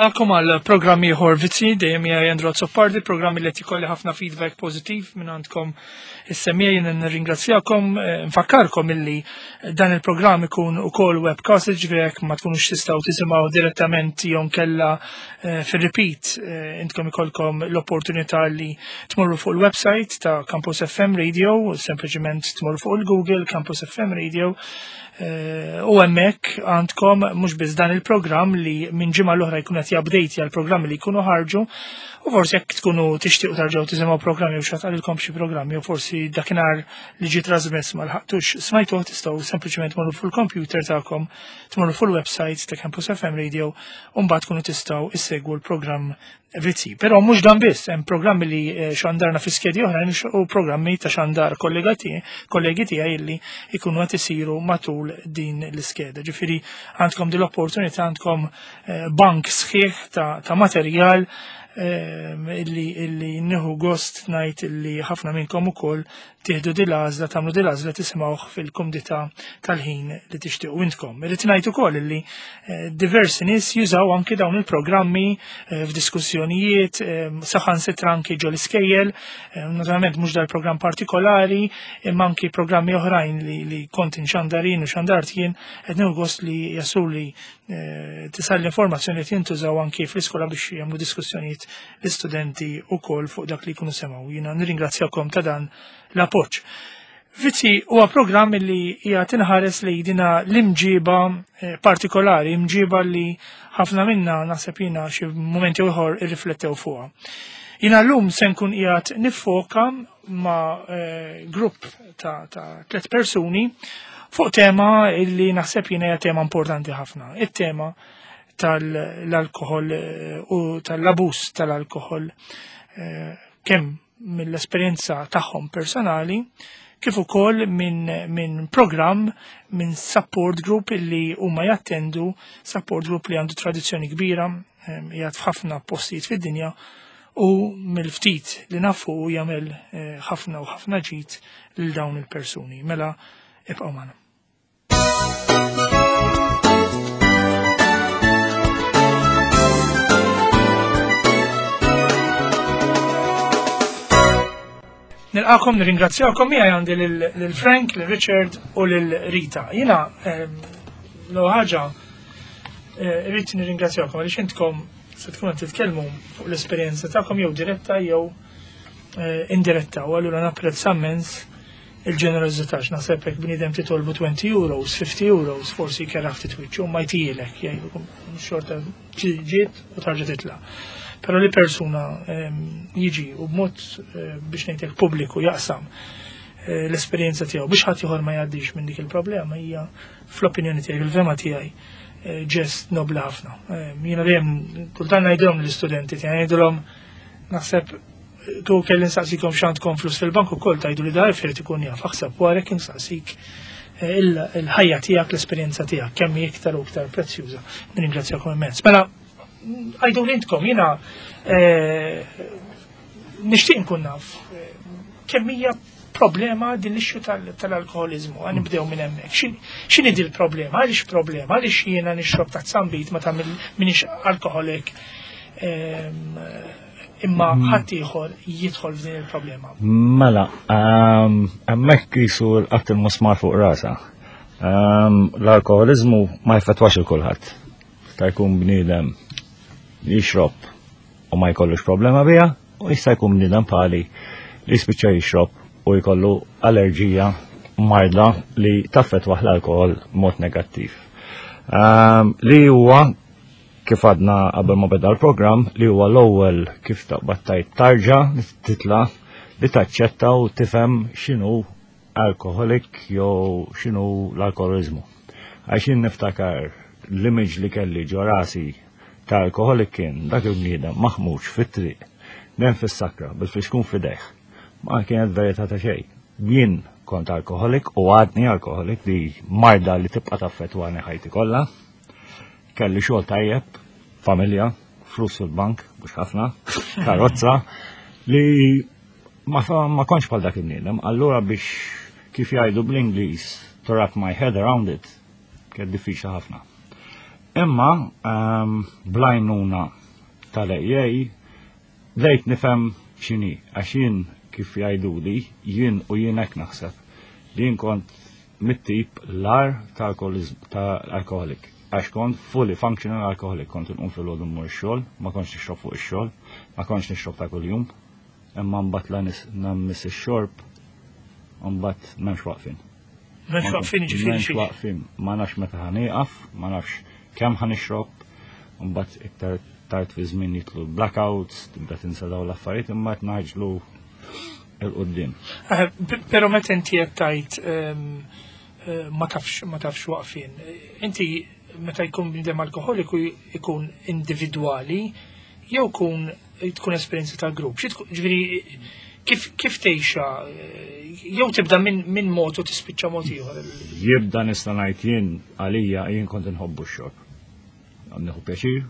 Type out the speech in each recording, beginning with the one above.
Nilqakom għal programm ieħor Vizzi dejjem hija Andrew Azzopardi, programm li qed ikolli ħafna feedback pożittiv minn għandkom is-semmiegħa jien nirringrazzjakom, eh, nfakkarkom illi dan il-programm ikun ukoll webcast, ġifieri jekk ma tkunux tistgħu tisimgħu direttament jew kella eh, fir-repeat eh, intkom ikolkom l-opportunità li tmorru fuq il-website ta' Campus FM Radio, sempliċement tmorru fuq il-Google Campus FM Radio Eh, u hemmhekk għandkom mhux biss dan il-programm li minn ġimgħa l-oħra jkun qed jabdejti għal programmi li jkunu ħarġu u forsi jekk tkunu tixtiequ tarġgħu tisimgħu programmi u xatqalilkom xi programmi u forsi dakinhar li ġie trasmess ma lħaqtux smajtuh tistgħu sempliċement tmorru fuq il-computer tagħkom, tmorru fuq il-website ta' Campus FM Radio u mbagħad tkunu tistgħu issegwu l-programm Vizzi. Però mhux dan biss, hemm programmi li eh, xandarna fi skedi oħrajn u programmi ta' xandar kollegi tiegħi illi jkunu qed isiru matul din l-iskeda. Ġifieri għandkom din l-opportunità għandkom eh, bank sħiħ ta' materjal eh, illi illi nieħu gost ngħid illi ħafna minnkom ukoll tieħdu din l-għażla, tagħmlu din l-għażla tisimgħuh fil-kumdità tal-ħin li tixtiequ intkom. Irrid ngħid ukoll illi eh, diversi nies jużaw anki dawn il-programmi eh, f'diskussjonijiet, eh, saħansitra anki ġol iskejjel, naturalment mhux dal-programm partikolari, imma anki programmi oħrajn li, li kont inxandarin u xandart jien qed nieħu gost li jasuli tisal l-informazzjoni li jintużaw anki fl-iskola biex jagħmlu diskussjonijiet l-istudenti wkoll fuq dak li jkunu semgħu. Jiena nirringrazzjakom ta' dan l-appoġġ. Vizzi huwa programm li hija tinħares li dina l-imġiba eh, partikolari, imġiba li ħafna minna naħseb jiena xi mumenti ieħor irriflettew fuqha. Jiena llum se nkun qiegħed niffoka ma' eh, grupp ta', ta tliet persuni fuq tema illi naħseb jiena hija tema importanti ħafna. It-tema tal-alkohol eh, u tal-abus tal-alkohol eh, kemm mill-esperjenza tagħhom personali kif ukoll minn min programm minn support group illi huma jattendu support group li għandu tradizzjoni kbira eh, jgħad f'ħafna postijiet fid-dinja u mill-ftit li nafu jagħmel ħafna u ħafna ġid lil dawn il-persuni. Mela ibqgħu magħna. Nilqakom, nirringrazzjakom, miegħi għandi lil Frank, lil Richard u lil Rita. Jiena ehm, l ħaġa eh, rrid nirringrazzjakom għaliex intkom se tkun qed titkellmu fuq l-esperjenza tagħkom jew diretta jew eh, indiretta u allura napprezza immens il-ġenerożità x'naħseb hekk bniedem titolbu 20 euros, 50 euros, forsi kerraħ ftit wiċċu ma jtielek, jgħidu xorta ġiet u tarġa' titla'. Però li persuna ehm, jiġi u b'mod eh, biex ngħidlek pubbliku jaqsam eh, l-esperjenza tiegħu biex ħadd ieħor ma jgħaddix minn dik il-problema hija fl-opinjoni tiegħi, fil-fema tiegħi eh, ġest nobli ħafna. Ehm, jiena dejjem kultant ngħidilhom l-istudenti tiegħi ngħidilhom naħseb Tu kelli nsaqsikom x'għandkom flus fil-bank ukoll tajdu li dar irid ikun jaf aħseb wara kien saqsik eh, il-ħajja tiegħek, l-esperjenza tiegħek kemm hi iktar u iktar prezzjuża. Nirringrazzjakom immens. Mela, għajdu li intkom jiena eh, nixtieq nkun naf eh, kemm hija problema din l-issue tal-alkoholizmu, għan nibdew minn hemmhekk. X'inhi din il-problema? Għaliex problema? Għaliex jiena nixrob ta' zambit ma tagħmel minix alkoholik ehm, imma mm. ħadd ieħor jidħol f'din il-problema. Mela, ehm, hemmhekk jisu l-qatt il-musmar fuq rasa. Ehm, l-alkoholizmu ma jfetwax il kulħadd. Ta' jkun bniedem jixrob u ma jkollux problema biha, u jista' jkun bniedem pali li jispiċċa jixrob u jkollu allerġija marda li taffetwa l-alkohol mod negattiv. Ehm, li huwa kif għadna qabel ma beda l-programm li huwa l-ewwel kif taqbad tajt tarġa titla li taċċetta u tifhem x'inhu alkoholik jew x'inhu l-alkoholizmu. Għax jien niftakar l-image li kelli ġo rasi ta' alkoholik kien dak il-bniedem maħmuġ fit-triq, nem fis-sakra bil-fixkun f'idejh. Ma kienet verità ta' xejn. Jien kont alkoholik u għadni alkoholik li marda li tibqa' taffettwani ħajti kollha. Kelli xogħol tajjeb, familja, flus fil-bank, mhux ħafna, karozza, li ma, ma kontx bħal dak il-bniedem. Allura biex kif jgħidu bl-Ingliż to wrap my head around it, kien diffiċli ħafna. Imma bl-għajnuna tal-AA bdejt nifhem x'inhi għax jien kif jgħiduli jien u jien hekk naħseb li jien kont mit-tip l-agħar ta' alcoholic għax kont fully functional alcoholic, kont inqum filgħodu mmur ix-xogħol, ma kontx nixrob fuq ix-xogħol, ma kontx nixrob ta' kuljum, imma mbagħad la nammis ix-xorb, mbagħad m'hemmx waqfien. M'hemmx waqfien ġifieri. M'hemmx waqfien, ma nafx meta ħa nieqaf, ma nafx kemm ħa nixrob, mbagħad iktar tard fi żmien jitlu blackouts, tibda tinsa dawn l-affarijiet imma qed naġlu il-qoddim. Eh, pero meta inti qed tgħid eh, ma tafx ma tafx waqfien, inti meta jkun bniedem alkoholiku jkun individwali jew kun tkun esperjenza ta' grupp. Ġifieri kif kif tgħixha eh, jew tibda minn min mod u tispiċċa mod ieħor. Jibda nista' ngħid jien għalija jien kont inħobbu x-xorb. Nieħu pjaċir,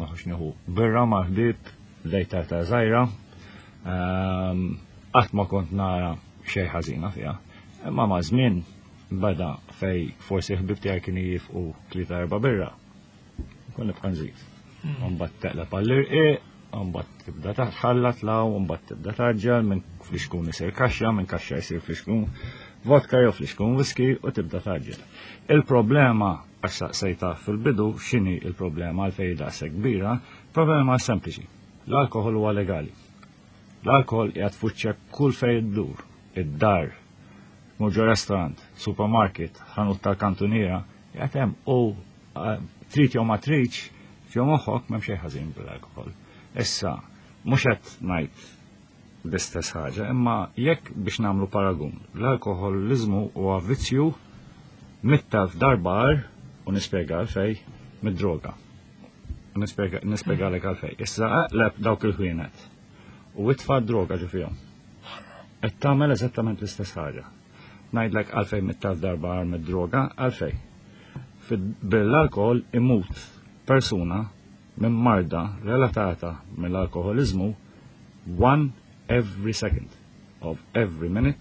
maħux nieħu birra ma' ħbieb, bdejt ta' żgħira. Ehm, qatt ma kont nara xejn ħażina fiha. Imma ma' żmien beda fej forsi ħbib tiegħi kienu jifqu tlieta erba' birra. Kun nibqa' nżid. Mbagħad teqleb għall-irqiq, mbagħad tibda tħallat law, mbagħad tibda taġġel minn flixkun isir kaxxa, minn kaxxa jsir flixkun vodka jew flixkun whisky u tibda taġġel. Il-problema għax saqsejta fil-bidu x'inhi il-problema għalfejn daqshekk kbira, problema sempliċi. L-alkoħol huwa legali. L-alkoħol qiegħed fuċċek kull fejn iddur, id-dar, tmur ġo restaurant, supermarket, ħanut tal-kantuniera, qiegħed hemm u eh, trid jew ma tridx, ġo moħħok m'hemm xejn ħażin bil-alkoħol. Issa, mhux qed ngħid l-istess ħaġa, imma jekk biex nagħmlu paragun, l-alkoħoliżmu huwa vizzju mittal f'darba u nispjega għalfej mid-droga. Nispjegalek għalfej. Issa aqleb dawk il-ħwienet u itfa' droga ġo fihom. Qed tagħmel eżattament l-istess ħaġa. Ngħidlek għalfejn mittal darba għar mid-droga, għalfej. Bil-alkohol imut persuna minn marda relatata mill-alkoholiżmu one every second of every minute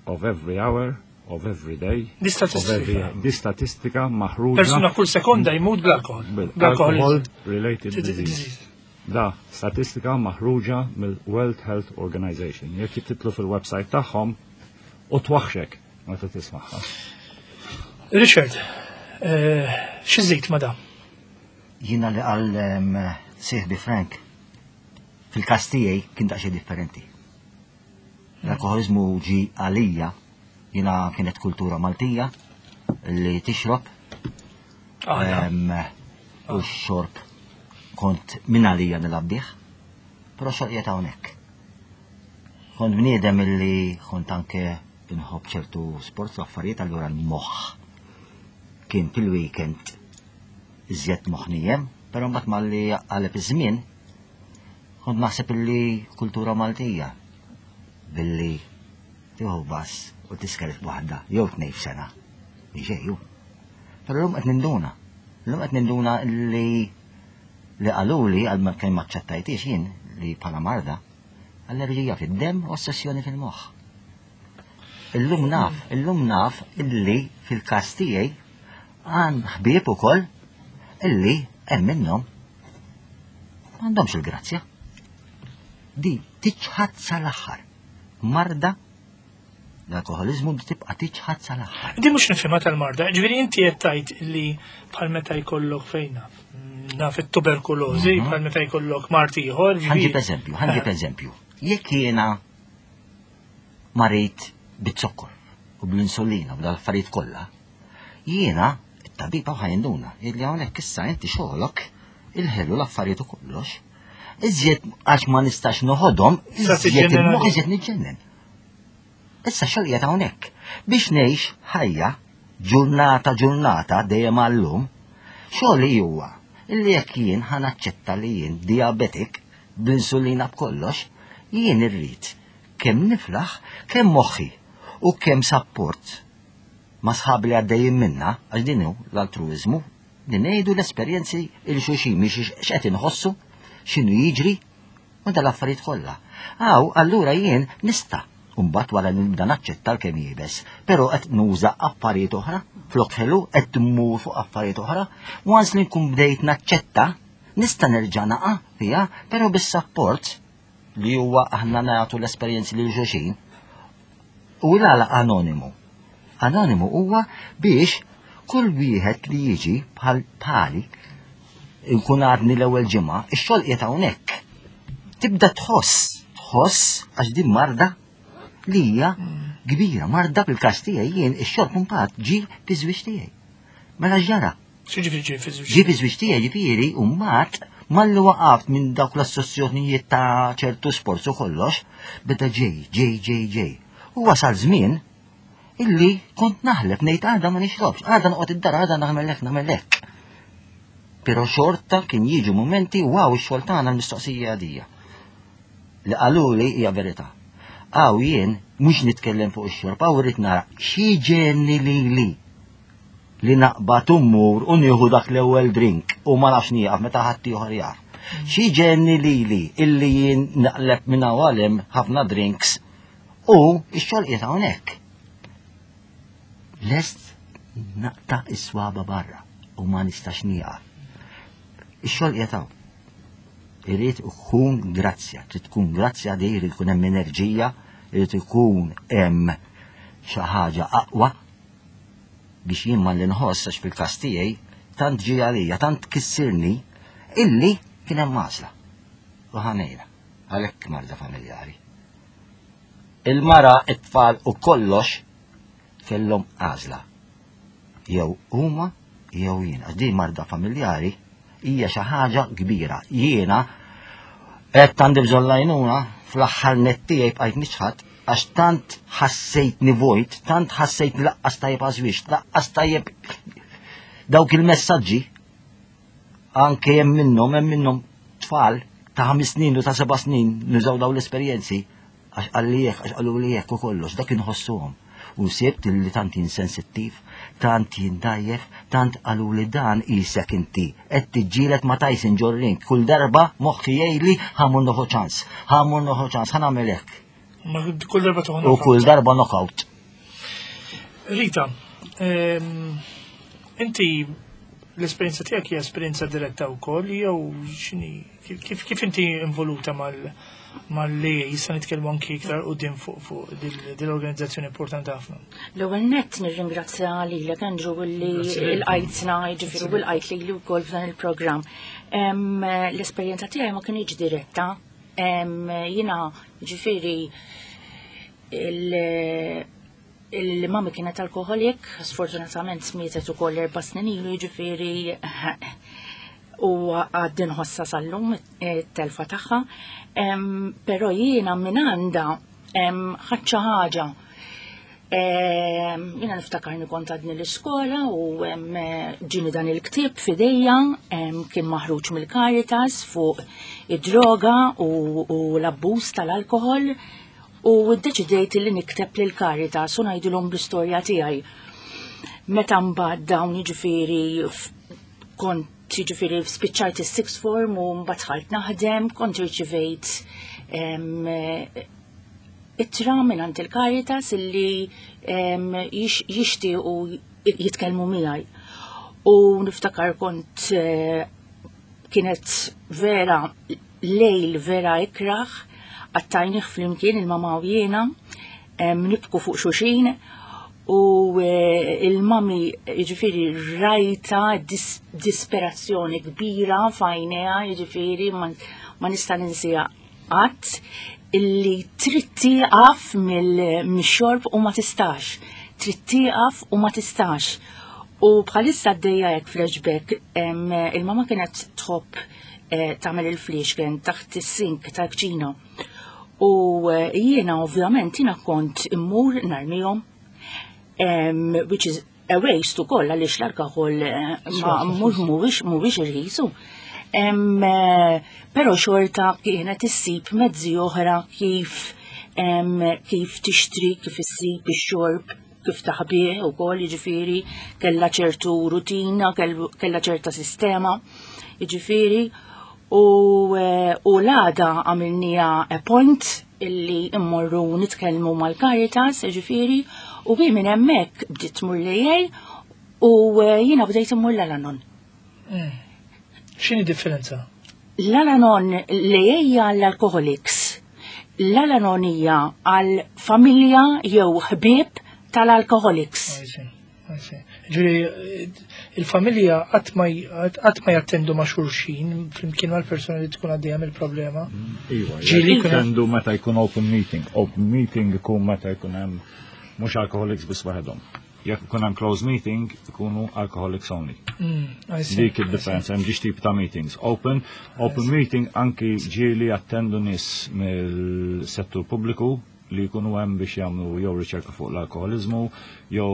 of every hour of every day. Di statistika. Di statistika maħruġa. Persuna kull sekonda jmut bl-alkohol. Bl-alkohol related disease. Da statistika maħruġa mill-World Health Organization. Jekk titlu fil-website tagħhom u twaħxek meta tismagħha. Richard, eh, xi żid ma da? Jiena li qal sieħbi Frank fil-każ tiegħi kien daqsxejn differenti. L-alkoħoliżmu ġi għalija, jiena kienet kultura Maltija li tixrob. U x-xorb kont minn għalija nilgħab bih, però xorb qiegħed hawnhekk. Kont bniedem illi kont anke inħobb ċertu sports u affarijiet allura l-moħħ kien fil-weekend iżjed moħħ però mbagħad malli qaleb iż-żmien kont naħseb illi kultura Maltija billi tieħu bass u tisker waħda jew tnejn f'sena. Ġejju. Però llum qed ninduna. Llum qed ninduna li li qaluli għal ma kemm aċċettajtix jien li bħala marda allerġija fid-demm u ossessjoni fil-moħħ. Illum naf, illum naf illi fil-każ tiegħi għan ħbieb ukoll illi hemm minnhom m'għandhomx il-grazzja. Di tiċħad sal-aħħar. Marda l-alkoholizmu tibqa' tiċħad sal-aħħar. Di mhux nifhimha tal-marda, ġifieri inti qed tgħid li bħal meta jkollok fejn naf, naf it-tuberkulożi, mhm. bħal meta jkollok mart ieħor. Ħanġib eżempju, ħanġib eh. eżempju. Jekk jiena marid bit-zokkor u bl-insulina u bl-affarijiet kollha, jiena it-tabib hawn ħajnduna illi hawnhekk issa inti xogħolok il-ħelu l-affarijiet u kollox. Iżjed għax ma nistax noħodhom, iżjed il-moħħ iżjed niġġennen. Issa xogħol qiegħed hawnhekk. Biex ngħix ħajja ġurnata ġurnata dejjem għallum, xogħli huwa illi jekk jien ħa naċċetta li jien diabetic bl-insulina b'kollox, jien irrid kemm niflaħ, kemm moħħi u kemm sapport ma' sħabi li għaddejjin minna, għax din hu l-altruiżmu, li ngħidu l-esperjenzi il xulxin mhix x'qed inħossu, x'inhu jiġri, u dal-affarijiet kollha. Aw, allura jien nista'. U mbagħad wara li nibda naċċetta l-kemm iebes, però qed nuża affarijiet oħra, flok ħelu qed mmur fuq affarijiet oħra, once li nkun bdejt naċċetta, nista' nerġa' naqa' fiha, però bis-sapport li huwa aħna nagħtu l-esperjenzi lil xulxin. U l-għala anonimu. Anonimu huwa biex kull wieħed li jiġi bħal bħali nkun għadni l-ewwel ġimgħa, ix-xogħol qiegħed hawnhekk. Tibda tħoss, tħoss għax din marda li hija kbira, marda fil-każ tiegħi jien ix-xogħol mbagħad ġie fi żwieġ tiegħi. Mela x'ġara? X'jiġifieri ġie fi żwieġ? Ġie fi żwieġ tiegħi ġifieri u mbagħad malli waqaft minn dawk l-assozzjonijiet ta' ċertu sports u kollox, beda ġej, ġej, ġej, ġej. U wasal żmien illi kont naħlef ngħid għada ma nixrobx, għada noqgħod id-dar, għada nagħmel hekk, nagħmel hekk. Però xorta kien jiġu mumenti wow ix-xogħol tagħna l-mistoqsija għadija. Li qaluli hija verità. Għaw jien mhux nitkellem fuq ix-xorb, għaw irrid nara xi ġenni lili li naqbad u mmur u nieħu dak l-ewwel drink u ma nafx nieqaf meta ħadd ieħor jaf. Xi ġenni lili illi jien naqleb minn hawn hemm ħafna drinks u x-xogħol qiegħed hawnhekk. Lest naqta' is-swaba barra u ma nistax nieqaf. Ix-xogħol qiegħed hawn. Irid ikun grazzja, trid tkun grazzja di, irid ikun hemm enerġija, irid ikun hemm xi ħaġa aqwa biex jien malli nħoss għax fil-każ tiegħi tant ġie għalija, tant kissirni illi kien hemm għażla. U ħanejra, għalhekk marda familjari. Il-mara, it-tfal u kollox kellhom għażla. Jew huma jew jien. Għax din marda familjari hija xi ħaġa kbira. Jiena qed għandi bżonn l-għajnuna fl-aħħar nett tiegħi bqajt niċħad għax tant ħassejtni vojt, tant ħassejtni laqqas tajjeb għażwiex, laqqas tajjeb dawk il-messaġġi anke hemm minnhom hemm minnhom tfal ta' ħames snin u ta' seba' snin nużaw dawn l-esperjenzi Għax qalli hekk, għax qaluli hekk u kollox, dak inħossuhom. U sibt li tant jien sensittiv, tant jien dgħajjef, tant qaluli dan qisek inti qed tiġġieled ma' Tyson ġo ring, kull darba moħħi jgħidli ħa mmur nieħu ċans, ħa mmur nieħu ċans, ħa nagħmel hekk. Ma kull darba tieħu U kull darba knockout. Rita, ehm, inti l-esperjenza tiegħek hija esperjenza diretta wkoll jew x'inhi kif kif inti involuta mal mal-li jista' nitkellmu anki iktar qudiem fuq fuq dil-organizzazzjoni importanti ħafna. L-ewwel nett nirringrazzja lilek Andrew li l-qajtna, jiġifieri u l-qajt lili wkoll f'dan il-programm. L-esperjenza tiegħi ma kinitx diretta. Jiena jiġifieri il-mami kienet alkoholik, sfortunatament mietet ukoll erba' snin ilu, jiġifieri u għad nħossa sal-lum it-telfa tagħha. Però jiena minn għandha ħadt xi ħaġa. Jiena niftakarni kont għadni l-iskola u ġieni dan il-ktieb f'idejja kien maħruġ mill-Caritas fuq id-droga u l-abbuż tal-alkohol u ddeċidejt li nikteb lil Caritas u ngħidilhom bl-istorja tiegħi. Meta mbagħad dawn jiġifieri kont jiġifieri spiċċajt is-sixth form u mbagħad dħalt naħdem, kont irċivejt ittra minn il-Caritas illi jixtiequ jitkellmu miegħi. U niftakar kont eh, kienet vera lejl vera ikraħ, qattajnih flimkien il-mama u jiena, nibku fuq xulxin u eh, il-mami jiġifieri rajta disperazzjoni kbira f'għajnejha jiġifieri ma nista' ninsieha qatt illi trid tieqaf mill-xorb u ma tistax. Trid tieqaf u ma tistax. U bħalissa għaddejja hekk flashback, il-mama kienet tħobb eh, tagħmel il-fliexken taħt is-sink tal-kċina. U eh, jiena ovvjament jiena kont immur narmihom, which is a waste ukoll għaliex l-alkohol eh, ma mhuwiex mhuwiex irħisu. Però xorta kienet issib mezzi oħra kif kif tixtri, kif issib ix-xorb kif taħbih ukoll, jiġifieri kellha ċertu rutina, kellha ċerta sistema, jiġifieri u, eh, u l-għada għamilnija a point. illi immorru nitkellmu mal-Caritas, ġifieri, u bi minn hemmhekk bdiet tmur l-AA u eh, jiena bdejt immur l-Alanon. Hmm. X'inhi differenza? L-Alanon l-AA hija għall-alcoholics. L-Alanon hija għal familja jew ħbieb tal-alcoholics. Ġuri, il-familja qatt ma jattendu ma' xulxin flimkien mal-persuna li tkun għaddejja mill-problema. Mm, iva, ġieli jattendu meta jkun open meeting. Open meeting ikun meta jkun hemm mhux alcoholics biss waħedhom. Jekk ikun hemm closed meeting, ikunu alcoholics only. Mm, Dik id-differenza, hemm ġiex tip ta' meetings. Open, open meeting anki ġieli jattendu nies mill-settur pubbliku li jkunu hemm biex jagħmlu jew riċerka fuq l-alkoħoliżmu jew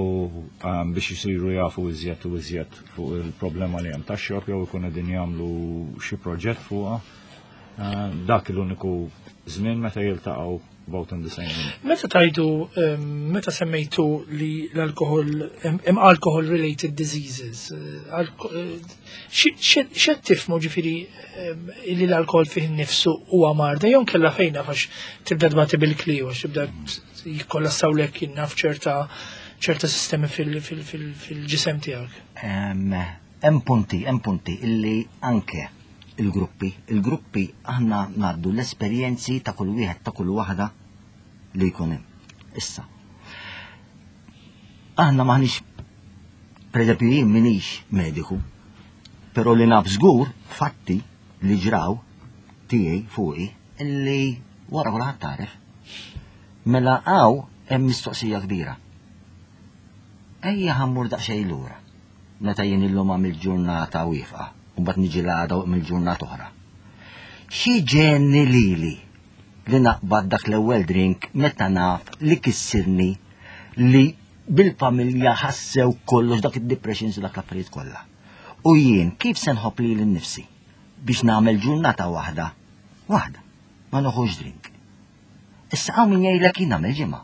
ehm, biex isiru jafu iżjed u iżjed fuq il-problema li hemm tax-xorb jew ikun qegħdin jagħmlu xi proġett fuqha. Ehm, dak l-uniku żmien meta jiltaqgħu both in the same room. Meta tajdu, ehm, meta semmejtu li l-alkohol, hemm alcohol related diseases, eh, eh, X'qed tifhmu ġifieri ehm, li l-alkohol fih innifsu huwa marda jew kellha fejn naf għax tibda tbati bil-kliju għax tibda jikkollassawlek naf ċerta ċerta sistemi fil-ġisem tiegħek. Hemm punti, hemm punti illi anke il-gruppi, il-gruppi aħna ngħaddu l-esperjenzi ta' kull wieħed ta' kull waħda li jkun hemm. Issa. Aħna maħniex Per eżempju, jien minix mediku, pero li naf żgur fatti li ġraw tiegħi fuqi illi wara kulħadd tagħref. Mela hawn hemm mistoqsija kbira. Ejja ħammur daqsxejn lura. Meta jien illum għamilt ġurnata wieqfa, u mbagħad niġi l-għada mill-ġurnata oħra. Xi ġenni lili li naqbad dak l-ewwel drink meta naf li kissirni li bil-familja ħassew kollox dak id-depressions u dak l-affarijiet kollha. U jien kif se nħobb lili nnifsi biex nagħmel ġurnata waħda, waħda, ma noħux drink. Issa hawn min jgħidlek jien nagħmel ġimgħa,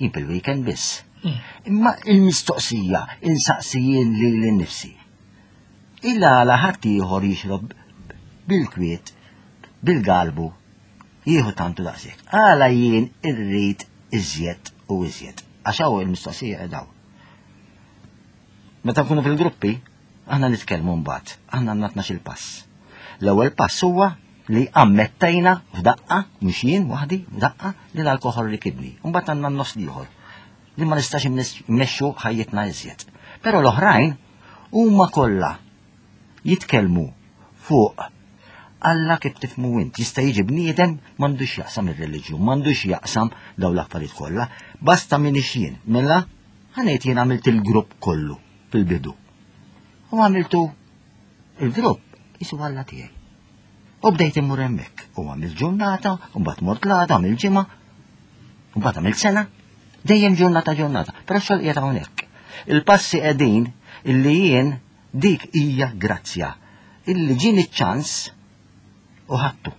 jien fil-weekend biss. Hmm. Imma il-mistoqsija insaqsi jien lili nnifsi. Illa għala ħadd ieħor jixrob bil-kwiet, bil-galbu, jieħu tantu daqshekk. Għala jien irrid iżjed u iżjed. Għax hawn il-mistoqsija qed hawn. Meta nkunu fil-gruppi, aħna nitkellmu mbagħad, aħna għandna 12 pass. L-ewwel pass huwa li ammettejna f'daqqa, mhux jien waħdi, f'daqqa li l-alkoħol rikibni. Mbagħad għandna n-nofs ieħor li ma nistax immexxu ħajjitna iżjed. Però l-oħrajn huma kollha jitkellmu fuq Alla kif tifmu int, jista' jiġi bniedem m'għandux jaqsam ir-reliġjun, m'għandux jaqsam dawn l-affarijiet kollha, basta min jien. Mela, ħanejt jien għamilt il-grupp kollu fil-bidu. U għamiltu il-grupp jisu Alla tiegħi. U bdejt immur hemmhekk. U għamilt ġurnata, u mbagħad mort l-għada, għamilt ġimgħa, u mbagħad għamilt sena, dejjem ġurnata ġurnata, però xogħol qiegħed hawnhekk. Il-passi qegħdin illi jien Dik hija grazzja illi ġieni ċ-ċans u ħadtu.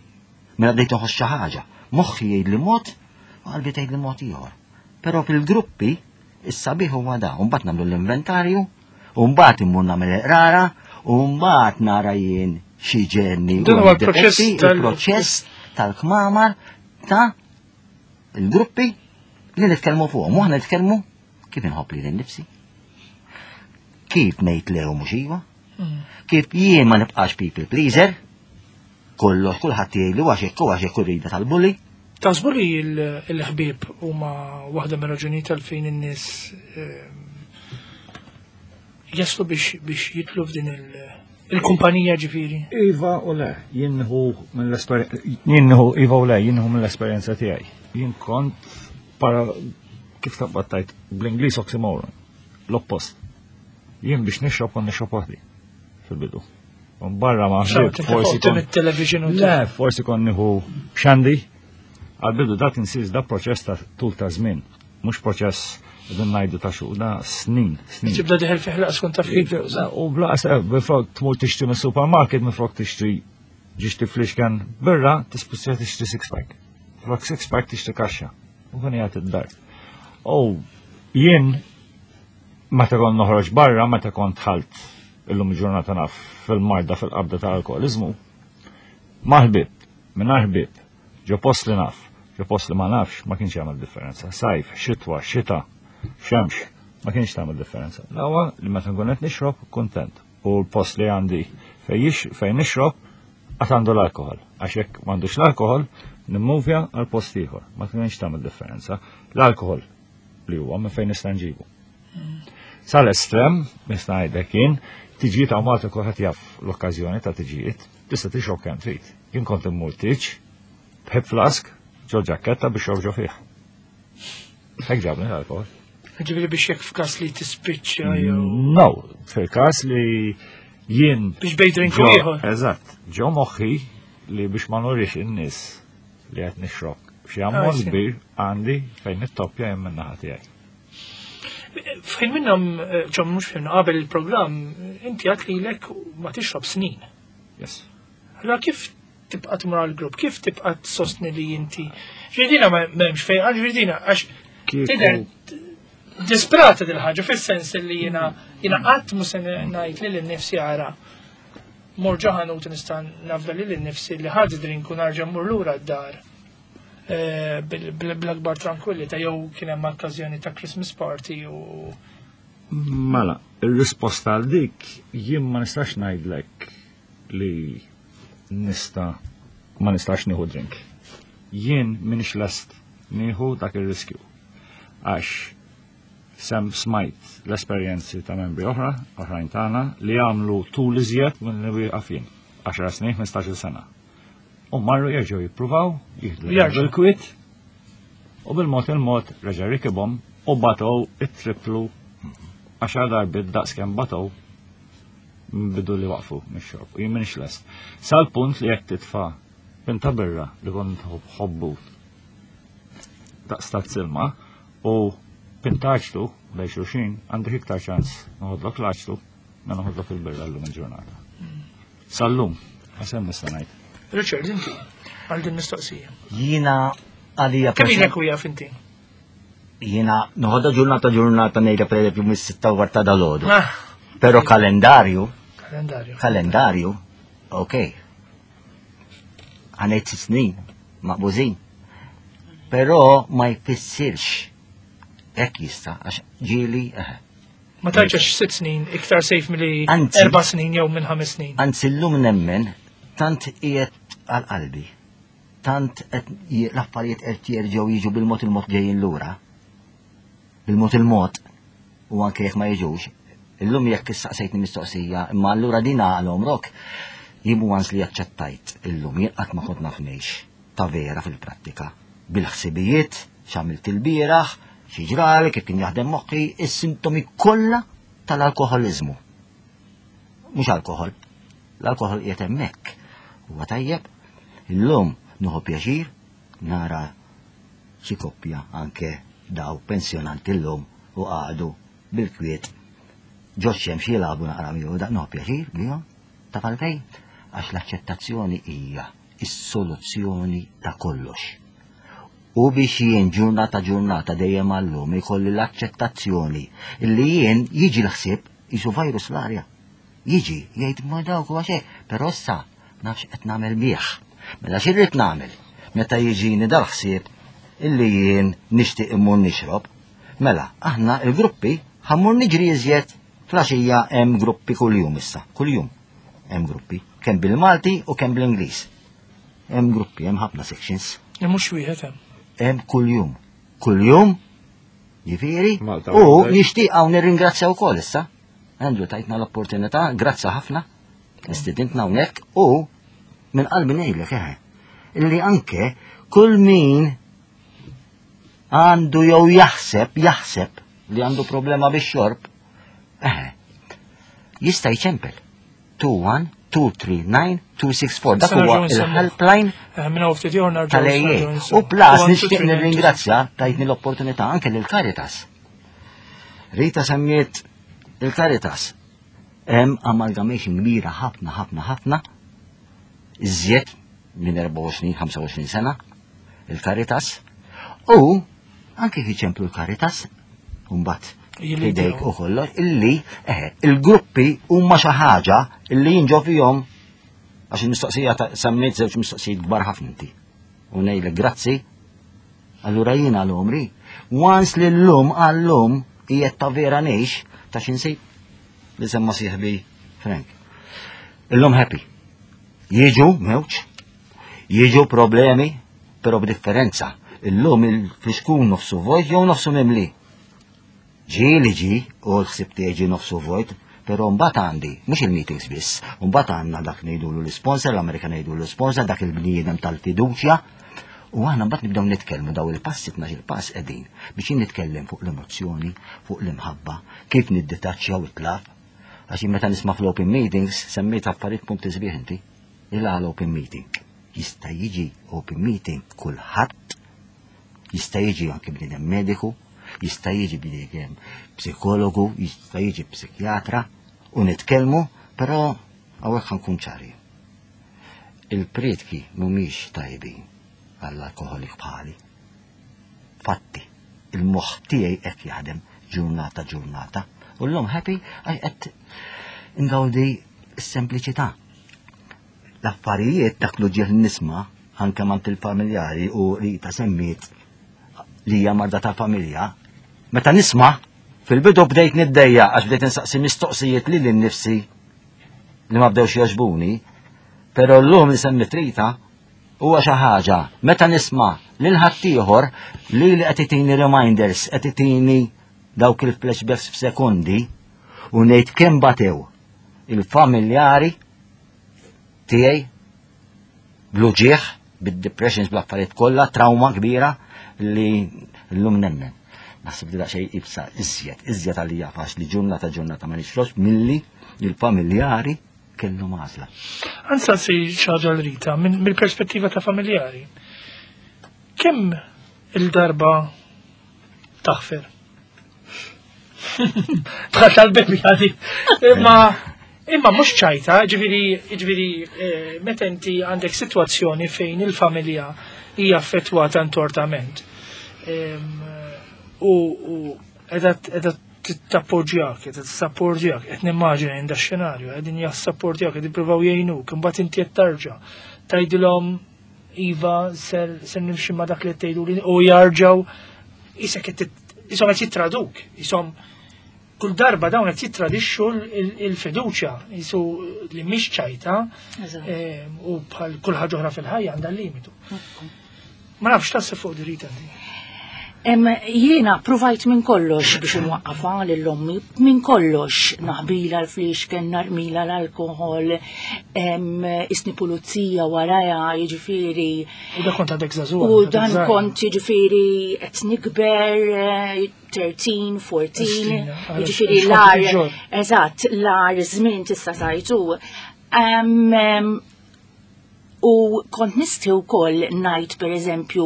Mela bdejt inħoss xi ħaġa. Moħħi jgħidli mod u qalbi tgħidli mod ieħor. Però fil-gruppi is-sabiħ huwa da, u mbagħad nagħmlu l-inventarju, u mbagħad immur nagħmel iqrara, u mbagħad nara jien xi ġenni. Dan huwa l-proċess tal-proċess tal-kmamar ta' il-gruppi li nitkellmu fuqhom. U aħna nitkellmu kif inħobb lili nnifsi. Kif ngħid le u mhux iva? Mm. Kif jien ma nibqax people pleaser? Kollox kulħadd jgħidli għax hekk u għax hekk rida tal-bully. Taħsbu li l-ħbieb huma waħda mir-raġunijiet għalfejn in-nies ehm, jaslu biex jitlu f'din il-kumpanija ġifieri? Iva u le, jinħu mill-esperjenza, jinħu iva u le, jinħu mill-esperjenza tiegħi. Jien kont para kif taqbad tajt bl-Ingliż oxymoron. L-oppost. Jien biex nixrob kont nixrob waħdi fil-bidu. Barra ma forsi kont television u Le, forsi kont nieħu xandi. Għal-bidu dak insir da proċess ta' tul ta' żmien, mhux proċess qegħdin ngħidu ta' xhur, da snin, snin. Tibda diħel fih laqas kont taf kif. U blaqas eh, minflok tmur tixtri mis-supermarket minflok tixtri ġiex tiflixken birra, tispiċċa tixtri six pack. Flok six pack tixtri kaxxa. U kien jgħid id-dar. U jien meta kont noħroġ barra, meta kont ħalt illum il-ġurnata naf fil-marda fil-qabda ta' alkoholizmu, ma' ħbieb, mingħajr ħbieb, ġo post li naf, Ġo post li ma nafx ma kienx jagħmel differenza. Sajf, xitwa, xita, xemx, ma kienx tagħmel differenza. L-ewwel li meta nkun qed nixrob kuntent. U l-post li għandi fejn nixrob għad għandu l-alkohol. Għax jekk m'għandux l-alkohol, nimmuvja għal post ieħor. Ma kienx tagħmel differenza. L-alkohol li huwa minn fejn nista' nġibu. Sal-estrem, nista' ngħidlek jien, tiġijiet hawn Malta kulħadd jaf l-okkażjoni ta' tiġijiet, tista' tixrob kemm trid. Jien kont immur tiġ, b'hip flask, ġo ġakketta biex ġo fih. Hekk ġabni l-alkohol. Ġifieri biex jekk f'każ li tispiċċa jew. No, fil-każ li jien. Biex bej drink ieħor. Eżatt, ġo moħħi li biex ma nurix in-nies li qed nixrob. Xi ammont ah, kbir għandi fejn nittoppja jien min-naħa tiegħi. Fejn minnhom eh, ġom mhux fejn qabel il-programm inti għad lilek ma tixrob snin. Yes. Allora kif tibqa' tmur għall-grupp, kif tibqa' tsostni li inti. Ġridina m'hemmx fejn, għax ġridina għax tidher disprata dil ħaġa fis-sens li jiena jiena qatt mhux se ngħid lil innifsi ara mor ġo ħanut nista' nafda lil innifsi li ħadd drink u narġa' mmur lura d-dar eh, bl-akbar tranquillità jew kien hemm okkażjoni ta' Christmas party u Mela, ir-risposta għal dik jien ma nistax ngħidlek li nista ma nistax nieħu drink. Jien minix lest nieħu dak ir-riskju. Għax sem smajt l-esperjenzi ta' membri oħra, oħrajn tagħna, li għamlu tul iżjed minn li wieqafin. 10 snin, 15 sena. U marru jerġgħu jippruvaw, jieħdu l-kwit, u bil-mod il-mod reġa' rikibhom u batow it-triplu għaxar darbiet daqs kemm batow bidu li waqfu mix-xorb. U jien minix lest. Sal-punt li jekk titfa' pinta birra li kont ħobbu daqs ta' silma u pintaċtu bej xulxin għandek iktar ċans noħodlok l-aċtu ma noħodlok il-birra l-lum il-ġurnata. Sal-lum, għasem nista' ngħid. Richard, inti, għal din mistoqsija. Jiena għalija. Kemm ilek u jaf inti? Jiena noħodha ġurnata ġurnata ngħidha pereżempju mis-sitta war ta' dalgħodu. Ah. Però kalendarju. Kalendarju. Kalendarju, ok. Għanejt snin, maqbużin. Però ma jfissirx hekk jista' għax ġieli eh. Ma tarġax sitt snin iktar sejf milli erba' snin jew minn ħames snin. Anzi llum nemmen tant qiegħed għal qalbi tant l-affarijiet qed jerġgħu jiġu bil-mod il-mod ġejjin lura. Bil-mod il-mod u anke jekk ma jiġux. Illum jekk issaqsejtni mistoqsija, imma allura din għal omrok, jien once li aċċettajt illum jien qatt ma kont naf ngħix ta' vera fil-prattika. Bil-ħsibijiet, x'għamilt ilbieraħ, xi ġrali, kif kien jaħdem moħħi, is-sintomi kollha tal-alkoħoliżmu. Mhux alkoħol, L-alkoħol qiegħed hemmhekk. Huwa tajjeb. Illum nieħu pjaċir nara xi koppja anke daw pensjonanti llum u qagħdu bil-kwiet ġo xemx jilagħbu naqra miegħu dak nieħu pjaċir bihom taf għalfejn? Għax l-aċċettazzjoni hija is-soluzzjoni ta' kollox. U biex jien ġurnata ġurnata dejjem għallum ikolli l-aċċettazzjoni li jien jiġi l-ħsieb jisu virus l-arja. Jiġi, jgħid ma dawk huwa xejn, però issa nafx qed nagħmel bih. Mela xi rrid nagħmel? Meta jiġini dal-ħsieb illi jien nixtieq immur nixrob, mela aħna il-gruppi ħammur niġri iżjed flaxija hemm gruppi kuljum issa, kuljum hemm gruppi, kemm bil-Malti u kemm bl-Ingliż. Hemm gruppi, hemm ħafna sections. Mhux wieħed hemm. Hemm kuljum. Kuljum, jiġifieri, u nixtieq hawn nirringrazzja wkoll issa Andrew tajtna l-opportunità, grazzi ħafna, istidintna hawnhekk u minn qalbi ngħidlek eħe, illi anke kull min għandu jew jaħseb, jaħseb li għandu problema bix-xorb, eħe, jista' jċempel. 21 239 264. Dak huwa il-helpline eh, tal-AA. U plus nixtieq nirringrazzja tajtni l-opportunità anke lil Caritas. Rita semmiet il-Caritas. Hemm amalgamation kbira ħafna ħafna ħafna iżjed minn 24-25 sena il-Caritas u anke kif ċemplu l-Caritas mbagħad idejk u kollox illi eh, il-gruppi huma xi ħaġa illi jinġo fihom għax il-mistoqsija semmejt żewġ mistoqsijiet kbar ħafna inti. U ngħidlek grazzi. Allura jien għal għomri. Once li llum għallum qiegħed ta' vera ngħix ta' x'insib li semma sieħbi Frank. Illum happy. Jiġu mewġ, jiġu problemi, però b'differenza. Illum il-fliskun nofsu vojt jew nofsu mimli. Ġieli ġie u l-ħsieb tiegħi ġie nofsu vojt, però mbagħad għandi, mhux il-meetings biss, mbagħad għandna dak ngħidulu l-isponsor, l-Amerika ngħidulu l-isponsor, dak il-bniedem tal-fiduċja, u aħna mbagħad nibdew nitkellmu daw il-passi 12 il-pass qegħdin biex jien nitkellem fuq l-emozzjoni, fuq l-imħabba, kif nidditaċċja u it-laf. Għax jien meta nisma' fl-open meetings semmejt affarijiet punti sbieħ inti. Il open meeting. Jista' jiġi open meeting kulħadd, jista' jiġi anke bniedem mediku, jista' jiġi bniedem psikologu, jista' jiġi psikjatra u nitkellmu, però hawnhekk nkun ċari. Il-prietki mhumiex tajbin għall-alkoholik bħali. Fatti, il-moħħ tiegħi hekk jaħdem ġurnata ġurnata. U llum happy għax qed ingawdi s-sempliċità. L-affarijiet dak l-uġieħ nisma' anke mant il-familjari u Rita semmiet li hija marda ta' familja, meta nisma' fil-bidu bdejt niddejja għax bdejt insaqsi mistoqsijiet li lil nifsi li ma bdewx jogħġbuni, però llum li semmit Rita huwa xi ħaġa meta nisma' lil ħaddieħor li li qed itini reminders, qed itini dawk il-flashbacks f'sekondi u ngħid kemm batew il-familjari tiegħi bl-uġieħ, bid-depressions, bl-affarijiet kollha, trauma kbira li llum nemmen. Naħseb li daqsxejn ibsa iżjed, iżjed għalija faċli ġurnata ġurnata ma nixrox milli il-familjari kellhom għażla. Ansaqsi xi ħaġa l-Rita, mill-perspettiva ta' familjari. Kemm il-darba taħfer? Bħal tal-bebi għadi. Imma imma mhux ċajta, ġifieri ġifieri eh, meta inti għandek sitwazzjoni fejn il-familja hija affettwata intortament. U qiegħda tappoġġjak, qiegħda tissapportjak, qed nimmaġina jien xenarju, qegħdin jassapportjak, qed jippruvaw jgħinuk, imbagħad inti qed tarġa' tgħidilhom iva ser ser nimxi ma dak li qed tgħidu u jarġgħu isek qed isom qed jittraduk, isom kull darba dawn qed jittradixxu il-fiduċja, jisu li mhix ċajta eh, u bħal kull ħaġa oħra fil-ħajja għandha limitu. Ma nafx taħseb fuq dirita inti. Jiena provajt minn kollox biex nwaqqafa lil ommi, minn kollox naħbila l-fliexken, narmila l-alkohol, isni pulizija waraja, jiġifieri. U dan kont għadek żagħżugħa. U dan kont jiġifieri qed nikber, 13, 14, jiġifieri l-ar, eżatt, l-ar żmien tista' tajtu. U kont nisti wkoll ngħid pereżempju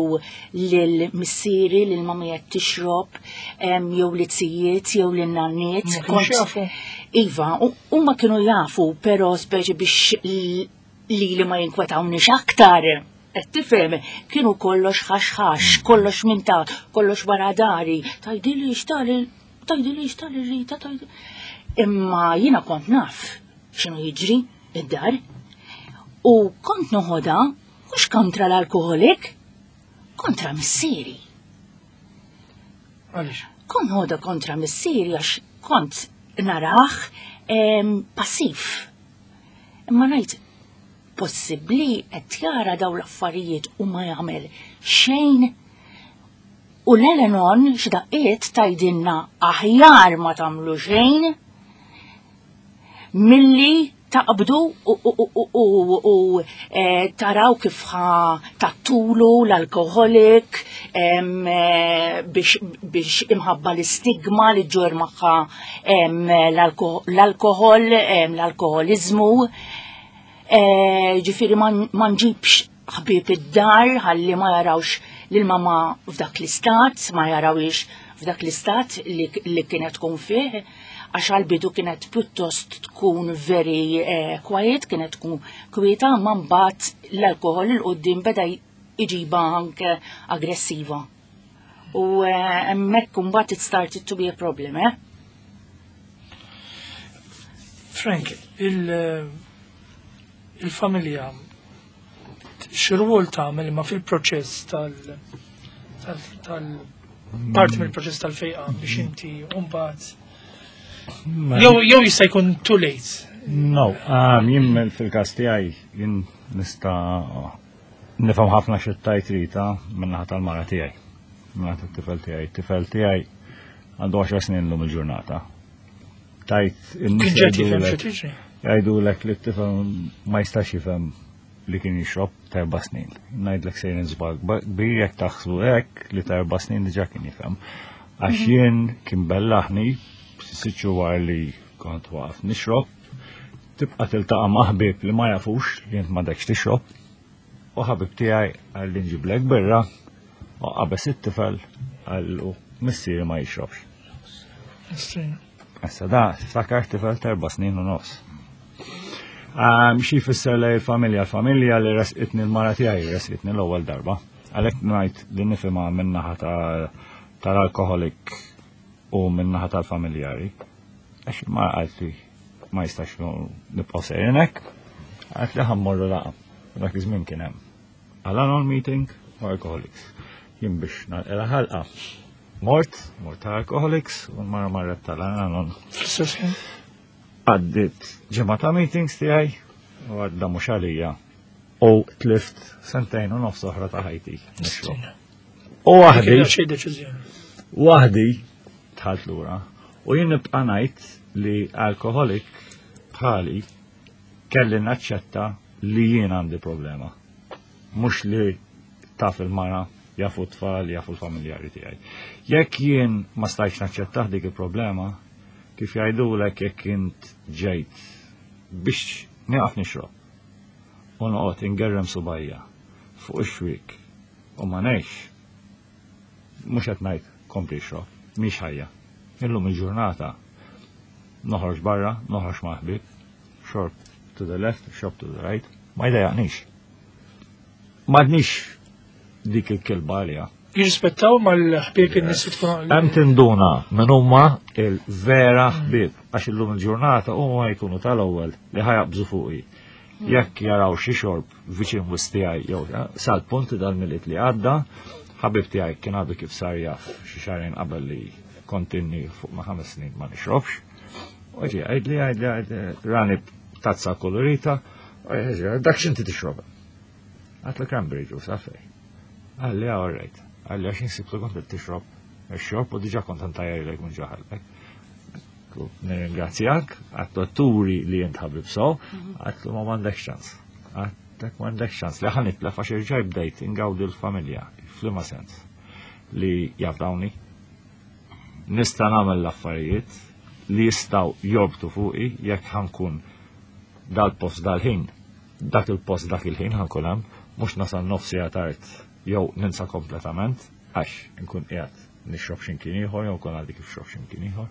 lil missieri lil mami qed tixrob jew li tzijiet jew lil nanniet. Kont Iva, huma kienu jafu però speċi biex li li ma jinkwetawniex aktar. Qed tifhem, kienu kollox ħax ħax, kollox minn ta' kollox wara dari, tajdili xtali, tajdili xtali Rita, tajdili. Imma jiena kont naf x'inhu jiġri id-dar. U kont noħodha mhux kontra l-alkoholik, kontra missieri. Għaliex? Kont noħodha kontra missieri għax kont narah passiv. Imma ngħid possibbli qed jara daw l-affarijiet u ma jagħmel xejn. U l-Al-Anon x'daqqiet tgħidilna aħjar ma tagħmlu xejn milli taqbdu u taraw kif ħa tattulu l-alkoholik biex imħabba l-istigma li ġġorr magħha l-alkohol, l-alkoholizmu. Ġifieri ma nġibx ħbieb id-dar ħalli ma jarawx lil mama f'dak l-istat, ma jarawix f'dak l-istat li kienet tkun fih, għax għal-bidu kienet pjuttost tkun very quiet, kienet tkun kwieta, ma mbagħad l-alkohol 'il quddiem beda iġiba anke aggressiva. U hemmhekk imbagħad it started to be a problem, eh? Frank, il-familja x'rwol tagħmel imma fil-proċess tal tal parti mill-proċess tal-fejqa biex inti mbagħad jew jista' jkun too late. No, um, jien fil-każ tiegħi jien nista' nifhem ħafna xi tajt Rita min-naħa tal-mara tiegħi. Min-naħa tat-tifel tiegħi. Tifel tiegħi għandu 10 snin lum il-ġurnata. Tajt in-nies jgħidulek li t-tifel ma jistax jifhem li kien jixrob ta' erba' snin. Ngħidlek sejrin żball kbir jekk taħsbu hekk li ta' erba' snin diġà kien jifhem. Għax mhm. jien kien bellaħni sitt xhur li kont waqaf nixrob, tibqa' tiltaqa' ma' ħbieb li ma jafux li int m'għadekx tixrob. U ħabib tiegħi qal li nġiblek birra u qabeż it-tifel qallu missieri ma jixrobx. Issa da, tiftakar tifel ta' erba' snin u nofs. Xi jfisser li l-familja, l-familja li resqitni l-mara tiegħi resqitni l-ewwel darba. Għalhekk ngħid li nifhimha min-naħa tal-alkoholik u min-naħa tal-familjari. Għax il-mara qaltli ma jistax nibqgħu sejrin hekk, għalt li ħammorru laqa. Dak iż-żmien kien hemm. Al-Anon meeting u Alcoholics. Jien biex nagħlqilha ħalqa. Mort, mort ta' Alcoholics u l-mara marret tal-Al-Anon. Għaddit ġimgħa ta' meetings tiegħi u għadda mhux għalija u tlift sentejn u nofs oħra ta' ħajti. U waħdi. Waħdi tħalt lura u jien nibqa' ngħid li alkoholik bħali kelli naċċetta li jien għandi problema. Mhux li taf il-mara, jafu t-tfal, jafu l-familjari tiegħi. Jekk jien ma stajtx naċċettah dik il-problema, kif jgħidulek jekk int ġejt biex nieqaf nixrob u noqgħod ingerrem subajja fuq ix-xwiek u ma ngħix, mhux qed ngħid kompli ixrob, mhix ħajja. Illum il-ġurnata noħroġ barra, noħroġ ma' ħbieb, xorb to the left, xorb to the right, ma jdejjaqnix. M'għadnix dik il-kilba għalija. Jirrispettaw mal-ħbieb in-nies tkun. Hemm tinduna minn huma il-vera ħbieb għax illum il-ġurnata huma jkunu tal-ewwel li ħajaqbżu fuqi. Jekk jaraw xi xorb viċin wis tiegħi jew sal-punt dal-miliet li għadda, ħabib tiegħi kien għadu kif sar jaf xi xahrejn qabel li kontinni fuq ma' ħames snin ma nixrobx. U ġi għajdli għajdli għajdli rani tazza kolorita, dak x'inti tixrob. Għatlu cranberry juice, għafej. Għalli, ah, all right. Għalli, għax insib li kont tixrob xorb u diġa kont ntajjar minn ġaħalek. Nirringrazzjak, għatlu turi li jent ħabib so, għatlu ma mandek ċans. Għatlek mandek ċans. Li ħan itlef għax irġaj bdejt ingawdi l-familja, flima sens, li jafdawni. Nista' nagħmel l-affarijiet li jistgħu jorbtu fuqi jekk ħankun dal-post dal-ħin dak il-post dak il-ħin ħankun hemm, mhux nasal nofs siegħa tard jew ninsa kompletament għax inkun qiegħed nixrob x'imkien ieħor jew nkun għaddi kif xrob x'imkien ieħor.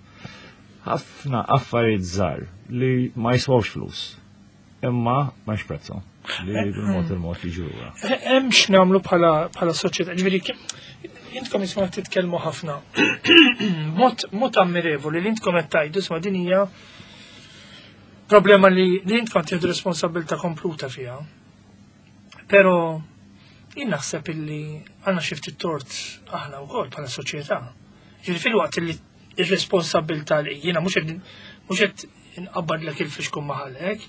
Ħafna affarijiet żgħar li ma jiswawx flus, imma ma prezzhom li bil-mod il-mod jiġu lura. Hemm x'nagħmlu bħala soċjetà, ġifieri intkom jisma' titkellmu ħafna. Mod mod ammirevoli li intkom qed tgħidu isma' din hija Problema li li intkom tieħdu responsabilità kompluta fiha. Però jien naħseb illi għandna xi ftit tort aħna wkoll bħala soċjetà. Ġifieri fil-waqt li ir-responsabilità li jiena mhux qed mhux qed inqabbadlek il-fixkun maħalek,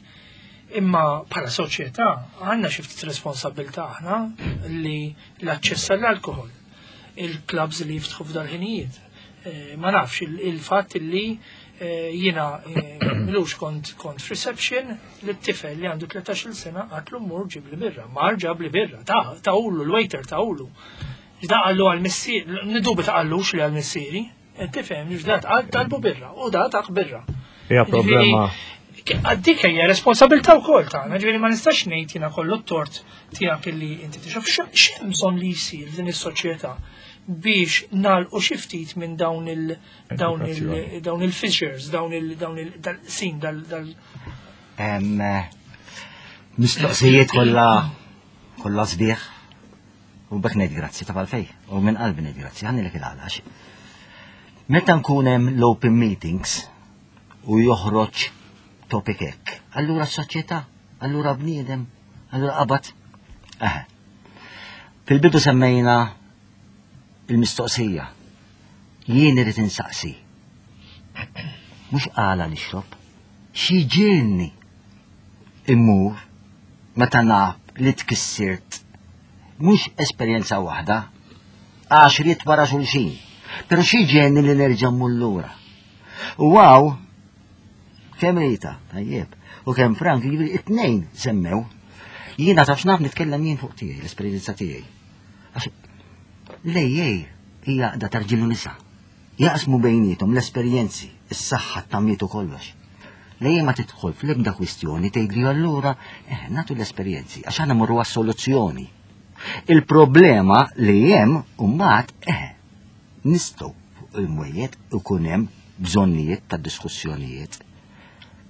imma bħala soċjetà għandna xi ftit responsabilità aħna li l-aċċess għall-alkohol, il-clubs li jiftħu f'dal-ħinijiet. Eh, ma nafx il-fatt li eh, jiena eh, milux kont kont f'reception li t-tifel li għandu 13 sena għatlu mur ġib li birra, mar ġab li birra, ta' ulu, l-waiter ta' ulu. Da għallu għal-missieri, nidubi ta' għallux li għal-missieri, tifhem, da għal talbu birra, u da ta' birra. Hija problema. Dik hija responsabilità wkoll tagħna, ġifieri ma nistax ngħid jiena kollu t-tort tiegħek illi inti tixrob x'hemm bżonn li jsir f'din is-soċjetà biex nagħlqu xi ftit minn dawn il dawn il dawn il-fissures, dawn il dawn il sin dal dal eh, Mistoqsijiet kollha kollha sbieħ u bekk ngħid grazzi ta' għalfej u minn qalbi ngħid grazzi ħanni il-għalax. Meta nkun hemm l-open meetings u joħroġ topic hekk, allura s-soċjetà, allura bniedem, allura qabad. Eh. Fil-bidu semmejna Il-mistoqsija. Jien irid insaqsi. Mhux għala nixrob. Xi ġiegħelni immur meta naf li tkissirt mhux esperjenza waħda, għaxriet wara xulxin. Però xi ġiegħelni li nerġa' mmur lura. U wow, kemm Rita, tajjeb, u kemm Frank, jiġifieri it-tnejn semmew. Jiena taf x'naf nitkellem jien fuq tiegħi, l-esperjenza tiegħi. Għax l-AA hija għaqda ta' rġiel u nisa. Jaqsmu bejniethom l-esperjenzi, is-saħħa, t-tamiet u kollox. L-AA ma tidħol fl-ebda kwistjoni tgħidli allura eh, nagħtu l-esperjenzi għax aħna mmorru għas-soluzzjoni. Il-problema li hemm mbagħad eh, nistgħu fuq il-mwejjed ikun hemm bżonnijiet ta' diskussjonijiet.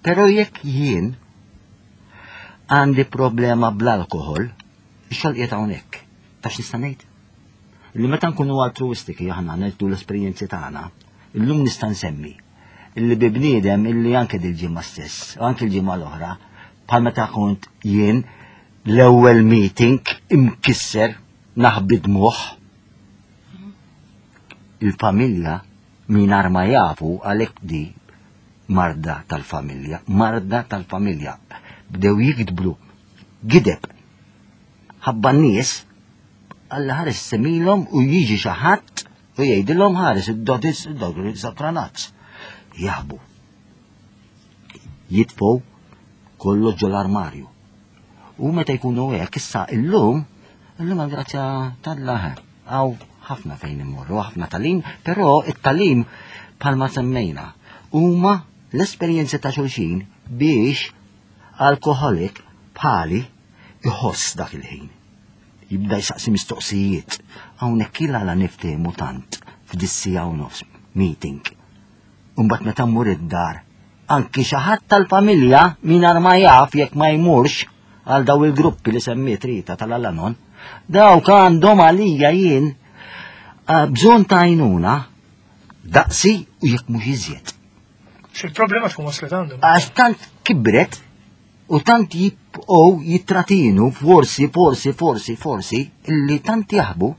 Però jekk jien għandi problema bl-alkohol, ix-xogħol qiegħed hawnhekk. Taf x'nista' ngħid? Li meta nkunu altruistiki aħna ngħidu l-esperjenzi tagħna, illum nista' nsemmi illi bi bniedem illi anke dil-ġimgħa stess, u anke l-ġimgħa l-oħra, bħal meta kont jien l-ewwel meeting imkisser naħbi dmuħ il-familja mingħajr ma jafu għalhekk di marda tal-familja, marda tal-familja. Bdew jikdblu gideb ħabba n-nies Alla ħares semilhom u jiġi xi ħadd u jgħidilhom ħares id-dodis id-dogri sakranazz. Jaħbu. Jitfgħu kollox ġol-armarju. U meta jkunu hekk issa illum, illum għal-grazzja t'Alla hawn ħafna fejn immorru, ħafna tagħlim, però it-tagħlim bħalma semmejna huma l-esperjenzi ta' xulxin biex alkoholik bħali iħoss dak il-ħin. Jibda jsaqsi mistoqsijiet. Hawnhekk il għala niftehmu tant f'dis-siegħa u nofs meeting. Imbagħad meta mmur id-dar, anki xi ħadd tal-familja mingħajr ma jaf jekk ma jmurx għal daw il-gruppi li semmiet Rita tal-Alanon, dawk għandhom għalija jien eh, bżonn ta' għajnuna daqsi u jekk mhux iżjed. Xil-problema tkun waslet għandhom. Għax tant kibret u tant jibqgħu jitratinu forsi, forsi, forsi, forsi, illi tant jaħbu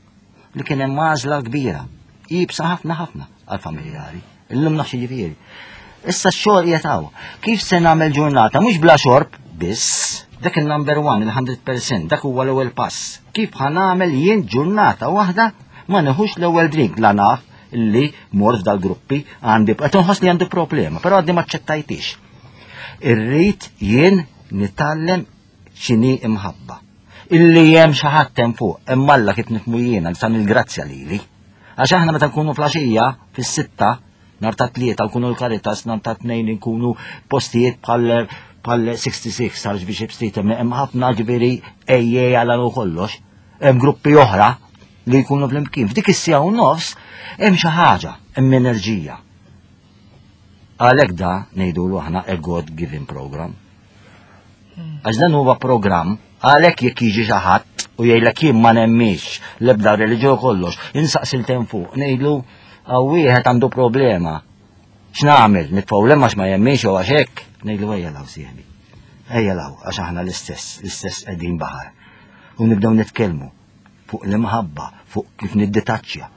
li kien hemm għażla kbira. Jibsa ħafna ħafna għal-familjari. Illum nafx jiġifieri. Issa x-xogħol qiegħed hawn. Kif se nagħmel ġurnata mhux bla xorb biss, dak il-number one, il-100%, dak huwa l-ewwel pass. Kif ħa nagħmel jien ġurnata waħda ma neħux l-ewwel drink la naf illi mort f'dal-gruppi għandi qed inħoss li għandi problema, però għadni ma ċċettajtix. Irrid jien nitgħallem x'inhi imħabba. Illi hemm xi ħadd hemm fuq, hemm Alla kif nifhmu jiena li san il-grazzja lili. Għax aħna meta nkunu flaxija fis-sitta, nhar ta' tlieta nkunu l-Caritas, nhar ta' tnejn nkunu postijiet bħal bħal 66 Archbishop Street, hemm ħafna ġifieri ejje għal u kollox, hemm gruppi oħra li jkunu flimkien. F'dik is-siegħa u nofs hemm xi ħaġa, hemm enerġija. Għalhekk da ngħidulu aħna a God given program. Għax dan huwa programm għalhekk jekk jiġi xi ħadd u jgħidlek jien ma nemmix l-ebda reliġjon kollox, insaqsil tem fuq, ngħidlu hawn wieħed għandu problema. X'nagħmel? Nitfgħu għax ma jemminx u għax hekk, ngħidlu ejja law sieħbi. Ejja law għax aħna l-istess, l-istess qegħdin baħar. U nibdew nitkellmu fuq l-imħabba, fuq kif nidditaċċja.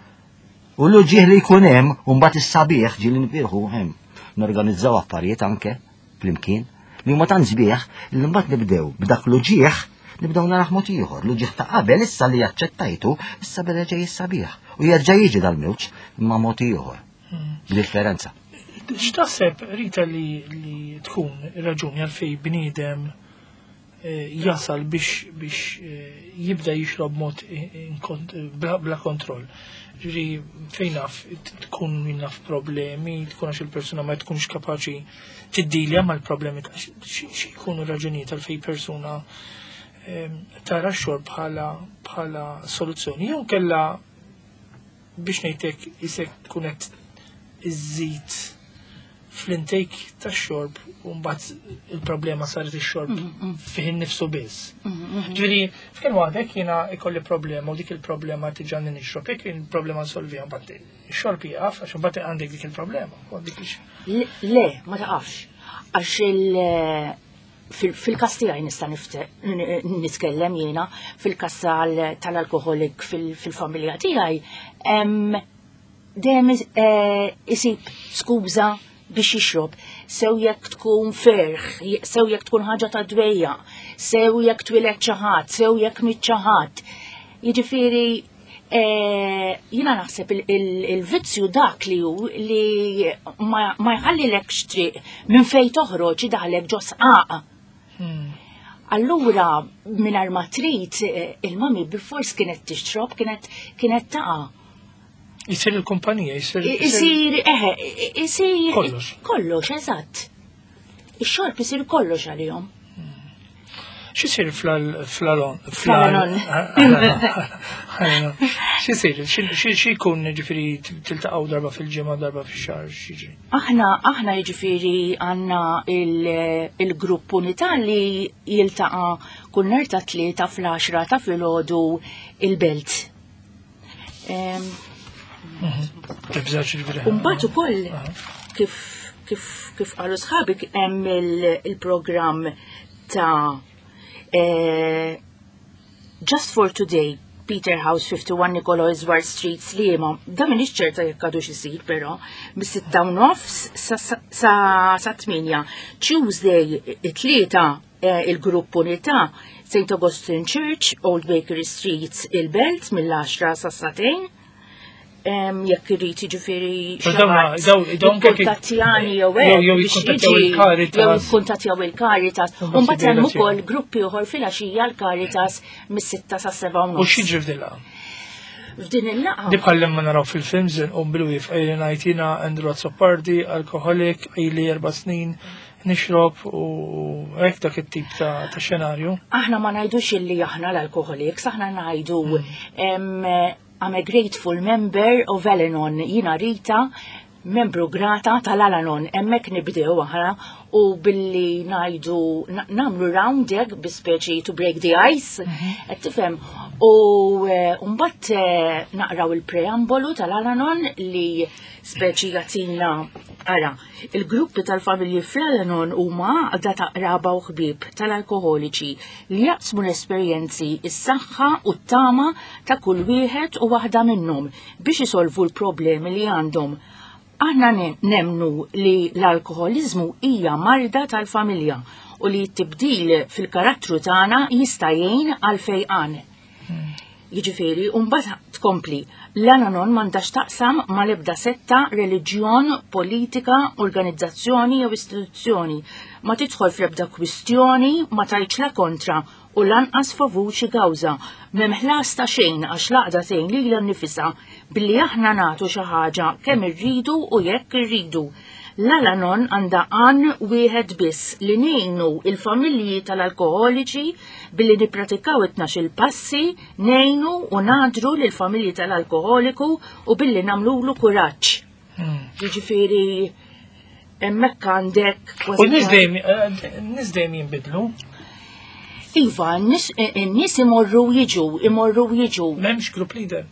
U l-uġieħ li jkun hemm, u mbagħad is-sabiħ ġieli nifirħu hemm. Norganizzaw affarijiet anke flimkien li huma tant sbieħ li mbagħad nibdew b'dak l-uġieħ nibdew naraħ mod ieħor. L-uġieħ ta' qabel issa li aċċettajtu, issa beda ġej is-sabiħ. U jerġa' jiġi dal-mewġ imma mod ieħor. Differenza. X'taħseb Rita li, li tkun ir-raġuni għalfej bniedem eh, jasal biex biex eh, jibda jixrob mod bla, bla kontroll. Ġifieri fejn naf tkun min naf problemi, tkun għax il-persuna ma tkunx kapaċi tiddilja mal-problemi ta' xi jkunu raġunijiet għalfej persuna eh, tara x-xorb bħala bħala soluzzjoni. Jew kella biex ngħidlek isek tkun qed iżżid fl-intake tax-xorb u mbagħad il-problema saret ix-xorb fih innifsu biss. Ġifieri, f'kien waħdek jiena ikolli problema u dik il-problema tiġani nixrob, jekk il-problema nsolviha mbagħad ix-xorb jieqaf għax imbagħad għandek dik il-problema. u dik ix- Le, ma taqafx. Għax il- Fil-kas tiegħi nista' nitkellem jiena, fil-kas tal-alkoholik fil-familja tiegħi, dejjem eh, isib skuża biex jixrob, sew jekk tkun ferħ, sew jekk tkun ħaġa ta' dwejja, sew jekk twieled xi ħadd, sew jekk miet xi ħadd. Jiġifieri eh, jiena naħseb il-vizzju dak li hu li ma jħallilekx triq minn fejn toħroġ idaħlek ġo sqaq. Allura mingħajr ma trid eh, il-mami bil-fors kienet tixrob, kienet kienet taqa'. Jisir il-kumpanija, jisir. Isir, eħe, isir. Kollox. Kollox, eżatt. Ix-xorb isir kollox għalihom. X'isir fl-alon? Fl-alon. X'isir? X'ikun ġifieri tiltaqgħu darba fil-ġimgħa, darba fix-xahar, x'jiġri? Aħna aħna jiġifieri għandna il-grupp unità li jiltaqa' kull nhar ta' tlieta fl-10 ta' filgħodu il-belt. Umbat ukoll kif kif kif qalu sħabi hemm il-programm ta' eh, Just for Today Peter House 51 Nicolo Iswar Street Sliema. Da minix ċerta jekk għadux isir però mis-sitta u nofs sa 8. Tuesday it-tlieta Eh, il-grupp Unità, St. Augustine Church, Old Bakery Street, il-Belt, mill-10 sa' satejn. Jekk irid jiġifieri jikkuntattjani jew hekk. Jew jikkuntattjaw il-Caritas. Jew jikkuntattjaw il-Caritas. U mbagħad hemm ukoll gruppi oħor filgħaxija l-Caritas mis-6 sa' 7 U x'jiġri f'din F'din il-laqgħa. Di bħal ma naraw fil-films inqum bil-wif ejli ngħid jiena Andrew Azzopardi, alkoholik, ili erba' snin, nixrob u hekk dak it-tip ta' xenarju. Aħna ma ngħidux illi aħna l-alkoholiks, aħna ngħidu I'm a grateful member of Al-Anon, jiena Rita, membru grata tal-Al-Anon, hemmhekk nibdew aħna u billi ngħidu nagħmlu round hekk bi speċi to break the ice, mhm. qed tifhem. U eh, mbagħad eh, naqraw il-preambolu tal-Al-Anon li speċi jagħtina ara Il-gruppi tal-familji fl-Al-Anon huma għaqda ta' qraba u ħbieb tal-alkoħoliċi li jaqsmu l-esperjenzi, is-saħħa u t-tama ta' kull wieħed u waħda minnhom biex isolvu l-problemi li għandhom. Aħna nemmnu li l-alkoħoliżmu hija marda tal-familja u li t-tibdil fil-karattru tagħna jista' jgħin għall-fejqan. Jiġifieri, u mbagħad tkompli, l-Al-Anon m'għandha x'taqsam mal-ebda setta, reliġjon, politika, organizzazzjoni jew istituzzjoni. Ma tidħol fl-ebda kwistjoni, ma tgħidx la kontra u lanqas favur xi kawża. M'hemm ħlas ta' xejn għax l-għaqda tgħin lilha nnifisha billi aħna nagħtu xi ħaġa kemm irridu u jekk irridu. L-Al-Anon għandha għan wieħed biss, li ngħinu il-familji tal-alkoħoliċi billi nippratikaw it-tnax-il passi, ngħinu u ngħadru lill-familji tal-alkoħoliku u billi nagħmlulu kuraġġ. Hmm. Jiġifieri hemmhekk għandek. U nies dejjem eh, dejjem jinbidlu. Iva, n-nies imorru jiġu, imorru jiġu. M'hemmx group leader.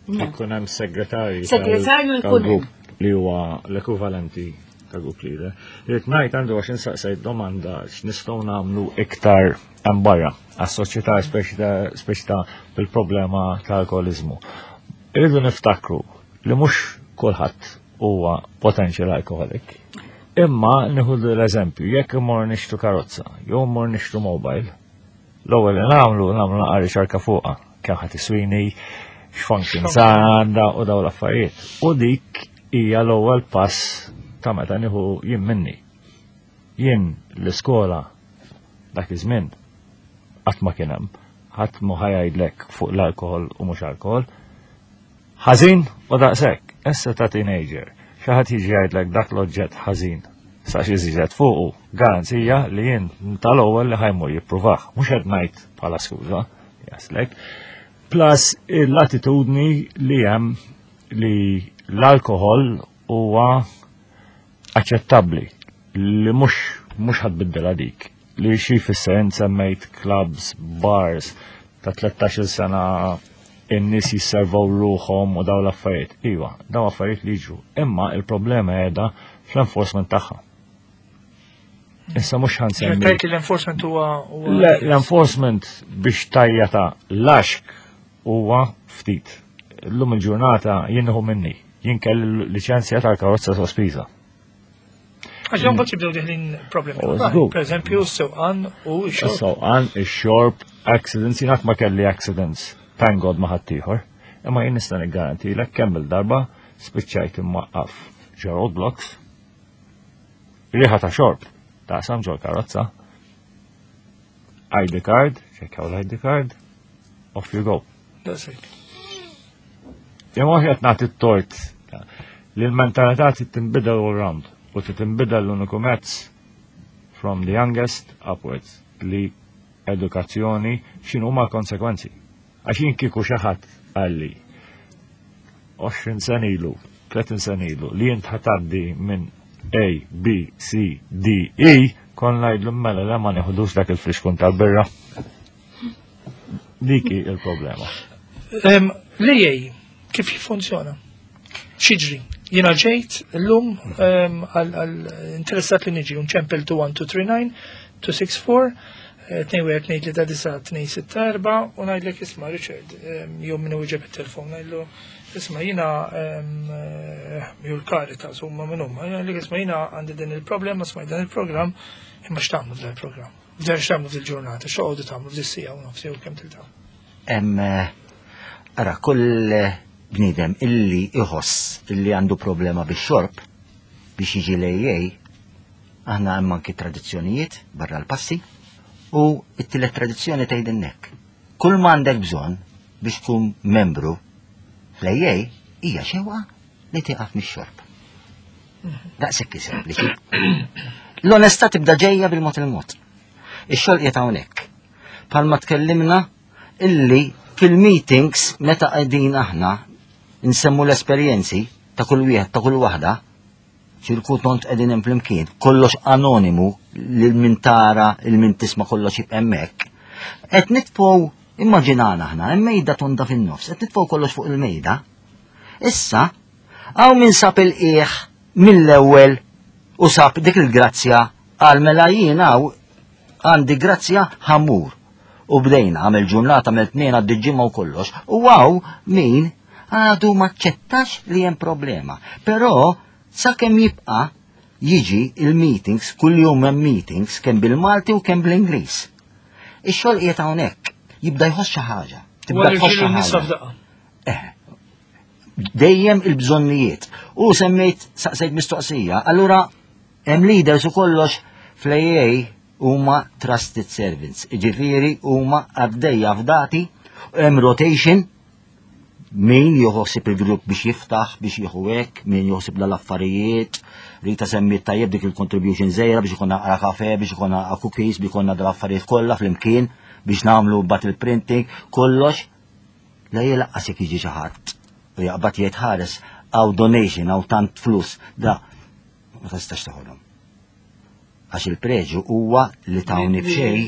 Ikun hemm segretarju. Segretarju jkun hemm. Li huwa l-ekwivalenti ta' group leader. Irrid ngħid għandu għax insaqsejt domanda x'nistgħu nagħmlu iktar hemm barra għas-soċjetà speċi ta' bil-problema ta' alkoholiżmu. Irridu niftakru li mhux kulħadd huwa potential alcoholic. Imma nieħu l-eżempju, jekk imur nixtru karozza, jew imur nixtru mobile, L-ewwel li nagħmlu nagħmlu naqra riċerka fuqha, kemm ħadd iswini, x'functions għandha u dawn l-affarijiet. U dik hija l-ewwel pass ta' meta nieħu jien minni. Jien l-iskola dak iż-żmien qatt ma kien hemm, ħadd mu ħajajdlek fuq l-alkohol u mhux alkohol. Ħażin u daqshekk, issa ta' teenager, xi ħadd jiġi jgħidlek dak l-oġġett ħażin sa xi żiġet fuqu, garanzija li jien tal-ewwel li ħajmur jippruvah, mhux qed ngħid bħala skuża, jaslek. Plus l-attitudni li hemm li l-alkohol huwa aċċettabbli li mhux mhux ħadbiddilha dik li xi jfisser semmejt clubs, bars ta' 13 sena in-nies jisservaw ruħhom u daw l-affarijiet. Iva, daw affarijiet li jiġru. Imma il-problema qiegħda fl-enforcement tagħha. Issa mhux ħa nsemmi. Tgħid li l-enforcement huwa L-enforcement biex tajjata laxk huwa ftit. Illum il-ġurnata jien nieħu minni. Jien kelli liċenzja tal-karozza sospiża. Għax dawn mbagħad jibdew deħlin problemi. Oh, żgur. Per eżempju, s-sewqan u x-xorb. Sewqan, ix-xorb, accidents, jien qatt ma kelli accidents, thank God ma ħaddieħor. Imma jien nista' niggarantilek kemm il-darba spiċċajt imwaqqaf ġo roadblocks, riħa ta' xorb, taqsam ġol karozza, ID card, ċekjaw l-ID card, off you go. Daqshekk. Imma qed nagħti t-tort li l-mentalità trid tinbidel all round u trid tinbidel l-uniku mezz from the youngest upwards li edukazzjoni x'inhu ma konsekwenzi. Għax jien kieku xi ħadd qalli 20 sena ilu, 30 sena ilu li jint ħa tgħaddi minn A, B, C, D, E, kon ngħidlu mela le ma neħdux dak il-flixkun tal-birra. Dik hi il-problema. L-AA kif jiffunzjona? X'jiġri? Jiena ġejt illum għal interessat li niġi nċempel 21239 264 212 264 u ngħidlek isma' Richard jew min iwieġeb it-telefon ngħidlu isma' jiena jew l-Caritas huma min huma ngħidlek isma' jiena għandi din il-problema smajt dan il-programm imma x'tagħmlu f'dan il-programm? F'dan x'tagħmlu f'dil-ġurnata, x'toqogħdu tagħmlu f'dis-siegħa u nofs jew kemm tiltaqgħu? Hemm ara kull bniedem illi iħoss illi għandu problema bix-xorb biex jiġi l-AA, aħna hemm anki tradizzjonijiet barra l-passi u t-tielet tradizzjoni tgħidilna hekk. Kull ma għandek bżonn biex tkun membru fl-AA hija xewqa li tieqaf mix-xorb. Daqshekk sempliċi. L-onestà tibda ġejja bil-mod il-mod. Ix-xogħol qiegħed hawnhekk. Palma tkellimna illi fil-meetings meta qegħdin aħna nsemmu l-esperjenzi ta' kull wieħed ta' kull waħda, ċirku tont qegħdin hemm flimkien, kollox anonimu lil min tara, il min tisma' kollox jibqa' hemmhekk. Qed nitfgħu immaġinana aħna, hemm mejda tonda fin-nofs, qed nitfgħu kollox fuq il-mejda. Issa, hawn min sab il-qiegħ mill-ewwel u sab dik il-grazzja għal mela jien hawn għandi grazzja ħa mmur. U bdejna, għamel ġurnata, għamel tnejn għaddi ġimgħa u kollox. U hawn min għadu maċċettax li hemm problema. Però sakemm jibqa' jiġi il-meetings, kull jum hemm meetings, kemm bil-Malti u kemm bl-Ingliż. Ix-xogħol qiegħed hawnhekk, jibda jħoss xi ħaġa. Tibda Wara tħoss xi l-irġiel u n-nisa ħaġa. f'daqqa. Dejjem il-bżonnijiet. U semmejt saqsejt mistoqsija, allura hemm leaders u kollox fl-AA huma trusted servants, ġifieri huma għaddejja fdati, hemm rotation, min joħsib il-grupp biex jiftaħ, biex jieħu hekk, min joħsib l-affarijiet, Rita semmiet tajjeb dik il-contribution żgħira biex ikonna naqra kafe, biex ikonna naqra cookies, biex ikonna dal-affarijiet kollha flimkien, biex nagħmlu bat il-printing, kollox. La jelaqqas jekk jiġi xi ħadd u jaqbad jgħid ħares hawn donation, hawn tant flus, da ma tistax teħodhom. Għax il-preġu huwa li tawni b'xejn,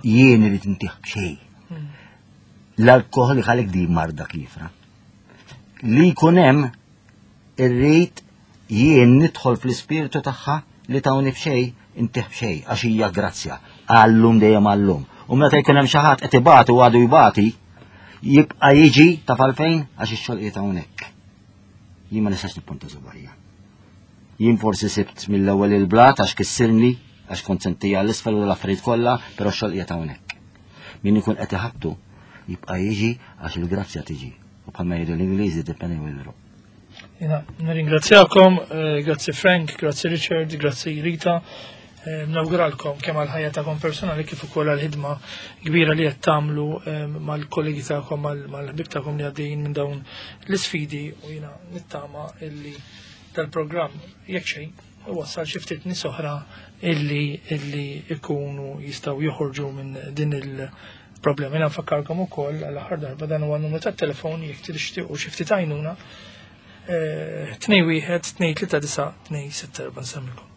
jien irid intih b'xejn. L-alkohol jħallik di marda kifra. Li jkun hemm irrid jien nidħol fl-ispirtu tagħha li tawni b'xejn, intih b'xejn, għax hija grazzja. Għallum dejjem għallum. U meta jkun hemm xi ħadd qed ibati u għadu jbati, jibqa' jiġi taf għalfejn għax ix-xogħol qiegħed hawnhekk. Jien ma nistax nippunta subgħajja. Jien forsi sibt mill-ewwel il-blat għax kissirni, għax kont sentija l-isfel u l-affarijiet kollha, però x-xogħol qiegħed hawnhekk. Min ikun qed iħabtu jibqa' jiġi għax il-grazzja tiġi. U bħalma jgħidu l-Ingliżi the penny will drop. Jiena, nirringrazzjakom, grazzi Frank, grazzi Richard, grazzi Rita. Nawguralkom kemm għal-ħajja tagħkom personali kif ukoll għall-ħidma kbira li qed tagħmlu mal-kollegi tagħkom, mal-ħbieb tagħkom li għaddejjin minn dawn l-isfidi u jiena nittama illi dal-programm jekk xejn iwassal xi ftit nies oħra illi ikunu jistgħu joħorġu minn din il-problema. Jiena nfakkarkom ukoll għall-aħħar darba dan huwa n-numru tat-telefon jekk tixtiequ xi ftit għajnuna 2 1 2 3 9 2 6 4 nsemmilkom.